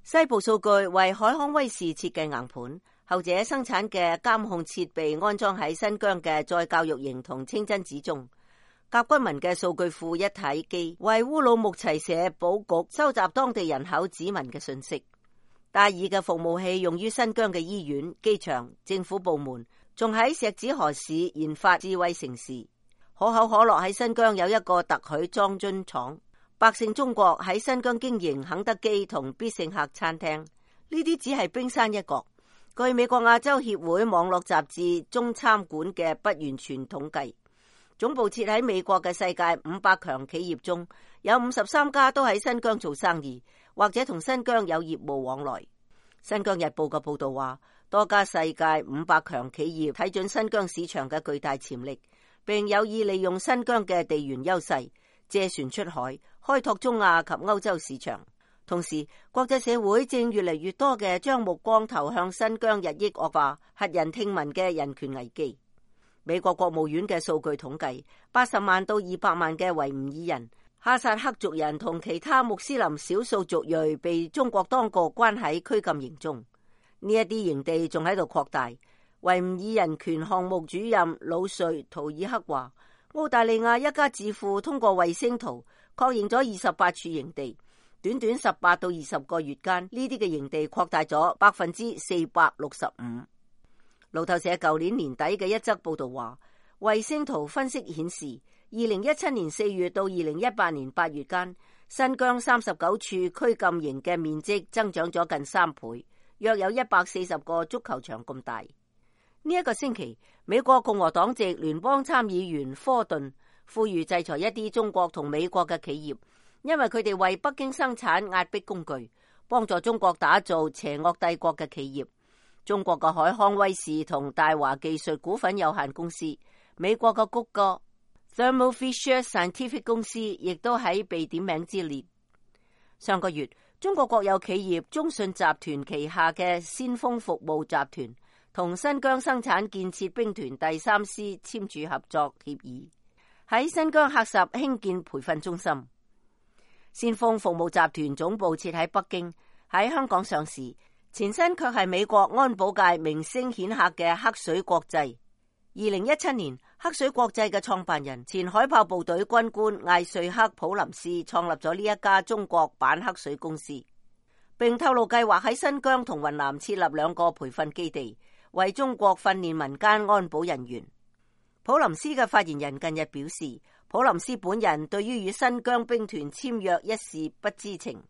西部數據為海康威視設計硬盤，後者生產嘅監控設備安裝喺新疆嘅再教育營同清真寺中。甲軍民嘅數據庫一體機為烏魯木齊社保局收集當地人口指紋嘅信息。戴爾嘅服務器用於新疆嘅醫院、機場、政府部門，仲喺石子河市研發智慧城市。可口可樂喺新疆有一個特許裝樽廠。百勝中國喺新疆經營肯德基同必勝客餐廳。呢啲只係冰山一角。據美國亞洲協會網絡雜誌中參館嘅不完全統計，總部設喺美國嘅世界500強企業中，有53家都喺新疆做生意，或者同新疆有業務往來。新疆日報嘅報道話，多家世界500強企業睇準新疆市場嘅巨大潛力，並有意利用新疆嘅地緣優勢，借船出海，開拓中亞及歐洲市場。同時，國際社會正越嚟越多嘅將目光投向新疆日益惡化、駭人聽聞嘅人權危機。美國國務院嘅數據統計，80萬到200萬嘅維吾爾人、哈薩克族人同其他穆斯林少數族裔被中國當局關喺拘禁營中。呢一啲營地仲喺度擴大。維吾爾人權項目主任魯瑞圖爾克話，澳大利亞一家智庫通過衛星圖確認咗28處營地，短短18到20個月間，呢啲嘅營地擴大咗465%。路透社舊年年底嘅一則報道話，衛星圖分析顯示，2017年4月到2018年8月間，新疆39處拘禁營嘅面積增長咗近3倍，約有140個足球場咁大。呢一個星期，美國共和黨籍聯邦參議員科頓呼籲制裁一啲中國同美國嘅企業，因為佢哋為北京生產壓迫工具，幫助中國打造邪惡帝國嘅企業。中國嘅海康威視同大華技術股份有限公司，美國嘅谷歌 Thermo Fisher Scientific 公司亦都喺被點名之列。上個月，中國國有企業中信集團旗下嘅先鋒服務集團同新疆生產建設兵團第3師簽署合作協議，喺新疆喀什興建培訓中心。先鋒服務集團總部設喺北京，喺香港上市。前身卻係美國安保界名聲顯赫嘅黑水國際。2017年，黑水國際嘅創辦人前海豹部隊軍官艾瑞克普林斯創立咗呢一家中國版黑水公司，並透露計劃喺新疆同雲南設立2個培訓基地，為中國訓練民間安保人員。普林斯嘅發言人近日表示，普林斯本人對於與新疆兵團簽約一事不知情。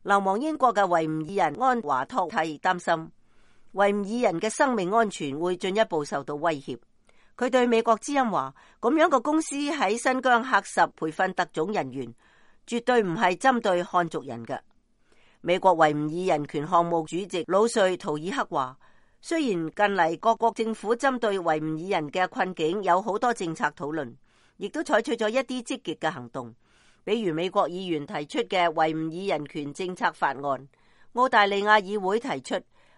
流亡英國嘅維吾爾人安華托蒂擔心維吾爾人嘅生命安全會進一步受到威脅。佢對美國之音話，咁樣嘅公司喺新疆喀什培訓特種人員，絕對唔係針對漢族人嘅。美國維吾爾人權項目主席魯瑞圖爾克話，雖然近嚟各國政府針對維吾爾人嘅困境有好多政策討論，亦都採取咗一啲積極嘅行動。比如美國議員提出嘅維吾爾人權政策法案，澳大利亞議會提出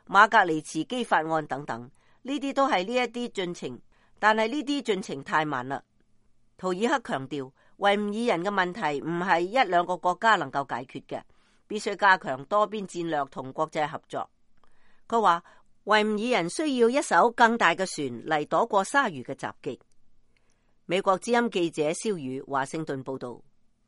馬格尼茨基法案等等，呢啲都係呢一啲進程，但係呢啲進程太慢啦。圖爾克強調，維吾爾人嘅問題唔係1-2個國家能夠解決嘅，必須加強多邊戰略同國際合作。佢話維吾爾人需要一艘更大嘅船嚟躲過鯊魚嘅襲擊。美國之音記者蕭宇華盛頓報道。